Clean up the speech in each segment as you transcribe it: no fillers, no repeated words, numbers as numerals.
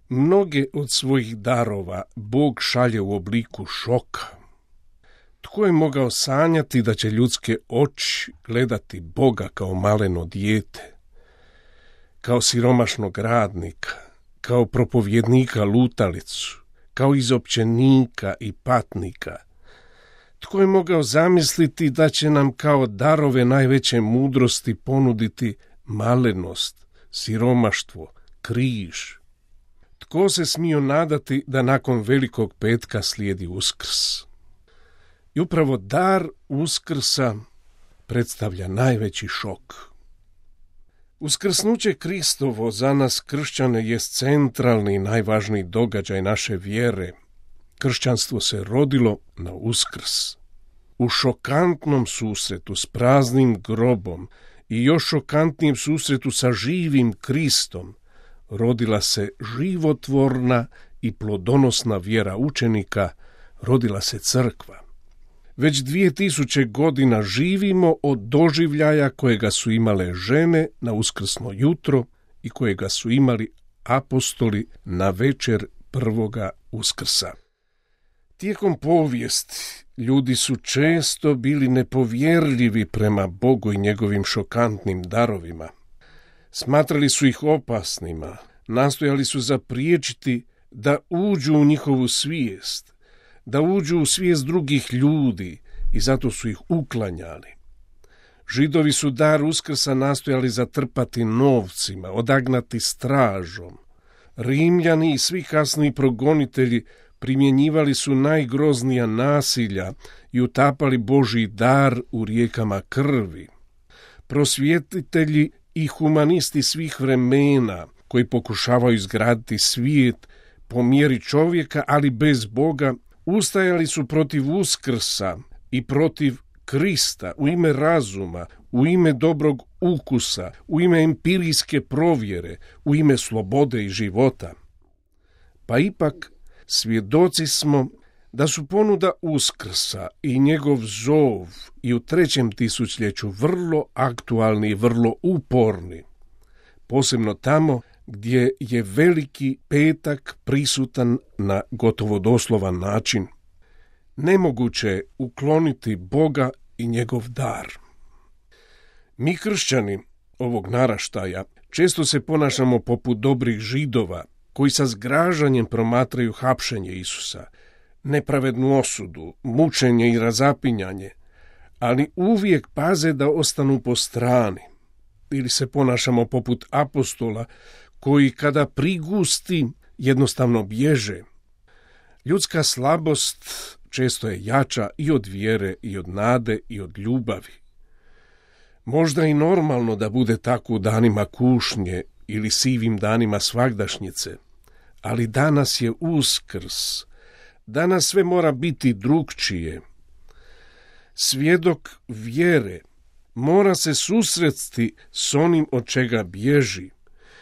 Mnoge od svojih darova Bog šalje u obliku šoka. Tko je mogao sanjati da će ljudske oči gledati Boga kao maleno dijete, kao siromašnog radnika, kao propovjednika lutalicu, kao izopćenika i patnika? Tko je mogao zamisliti da će nam kao darove najveće mudrosti ponuditi malenost, siromaštvo, križ? Tko se smio nadati da nakon Velikog petka slijedi Uskrs? I upravo dar Uskrsa predstavlja najveći šok. Uskrsnuće Kristovo za nas kršćane jest centralni i najvažniji događaj naše vjere. Kršćanstvo se rodilo na Uskrs. U šokantnom susretu s praznim grobom i još šokantnijem susretu sa živim Kristom rodila se životvorna i plodonosna vjera učenika, rodila se crkva. Već 2000 godina živimo od doživljaja kojega su imale žene na uskrsno jutro i kojega su imali apostoli na večer prvoga Uskrsa. Tijekom povijesti ljudi su često bili nepovjerljivi prema Bogu i njegovim šokantnim darovima. Smatrali su ih opasnima, nastojali su zapriječiti da uđu u njihovu svijest, da uđu u svijest drugih ljudi i zato su ih uklanjali. Židovi su dar Uskrsa nastojali zatrpati novcima, odagnati stražom. Rimljani i svi kasniji progonitelji primjenjivali su najgroznija nasilja i utapali Božji dar u rijekama krvi. Prosvjetitelji i humanisti svih vremena koji pokušavaju izgraditi svijet po mjeri čovjeka, ali bez Boga, ustajali su protiv Uskrsa i protiv Krista u ime razuma, u ime dobrog ukusa, u ime empirijske provjere, u ime slobode i života. Pa ipak svjedoci smo da su ponuda Uskrsa i njegov zov i u 3. tisućljeću vrlo aktualni i vrlo uporni, posebno tamo gdje je Veliki petak prisutan na gotovo doslovan način. Nemoguće je ukloniti Boga i njegov dar. Mi kršćani ovog naraštaja često se ponašamo poput dobrih Židova koji sa zgražanjem promatraju hapšenje Isusa, nepravednu osudu, mučenje i razapinjanje, ali uvijek paze da ostanu po strani. Ili se ponašamo poput apostola koji kada prigusti jednostavno bježe. Ljudska slabost često je jača i od vjere i od nade i od ljubavi. Možda i normalno da bude tako u danima kušnje ili sivim danima svagdašnjice, ali danas je Uskrs. Danas sve mora biti drukčije. Svjedok vjere mora se susresti s onim od čega bježi.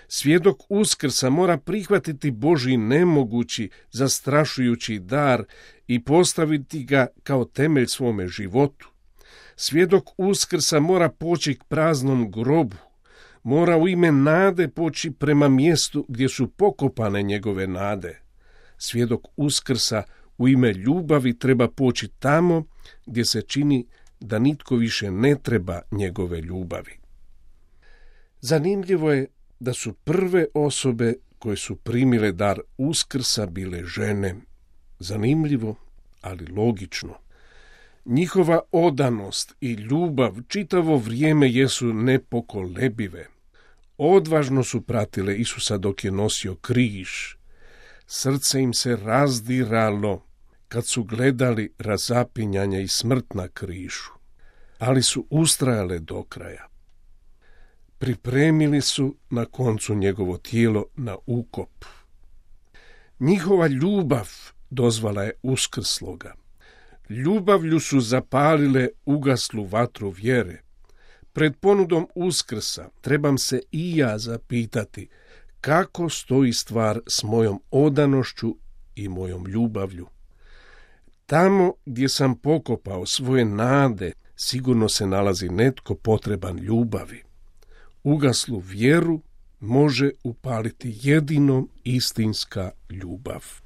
Svjedok Uskrsa mora prihvatiti Božji nemogući, zastrašujući dar i postaviti ga kao temelj svome životu. Svjedok Uskrsa mora poći k praznom grobu, mora u ime nade poći prema mjestu gdje su pokopane njegove nade. Svjedok Uskrsa u ime ljubavi treba poći tamo gdje se čini da nitko više ne treba njegove ljubavi. Zanimljivo je da su prve osobe koje su primile dar Uskrsa bile žene. Zanimljivo, ali logično. Njihova odanost i ljubav čitavo vrijeme jesu nepokolebive. Odvažno su pratile Isusa dok je nosio križ. Srce im se razdiralo kad su gledali razapinjanje i smrt na križu, ali su ustrajale do kraja. Pripremili su na koncu njegovo tijelo na ukop. Njihova ljubav dozvala je uskrsloga. Ljubavlju su zapalile ugaslu vatru vjere. Pred ponudom Uskrsa trebam se i ja zapitati kako stoji stvar s mojom odanošću i mojom ljubavlju. Tamo gdje sam pokopao svoje nade, sigurno se nalazi netko potreban ljubavi. Ugaslu vjeru može upaliti jedino istinska ljubav.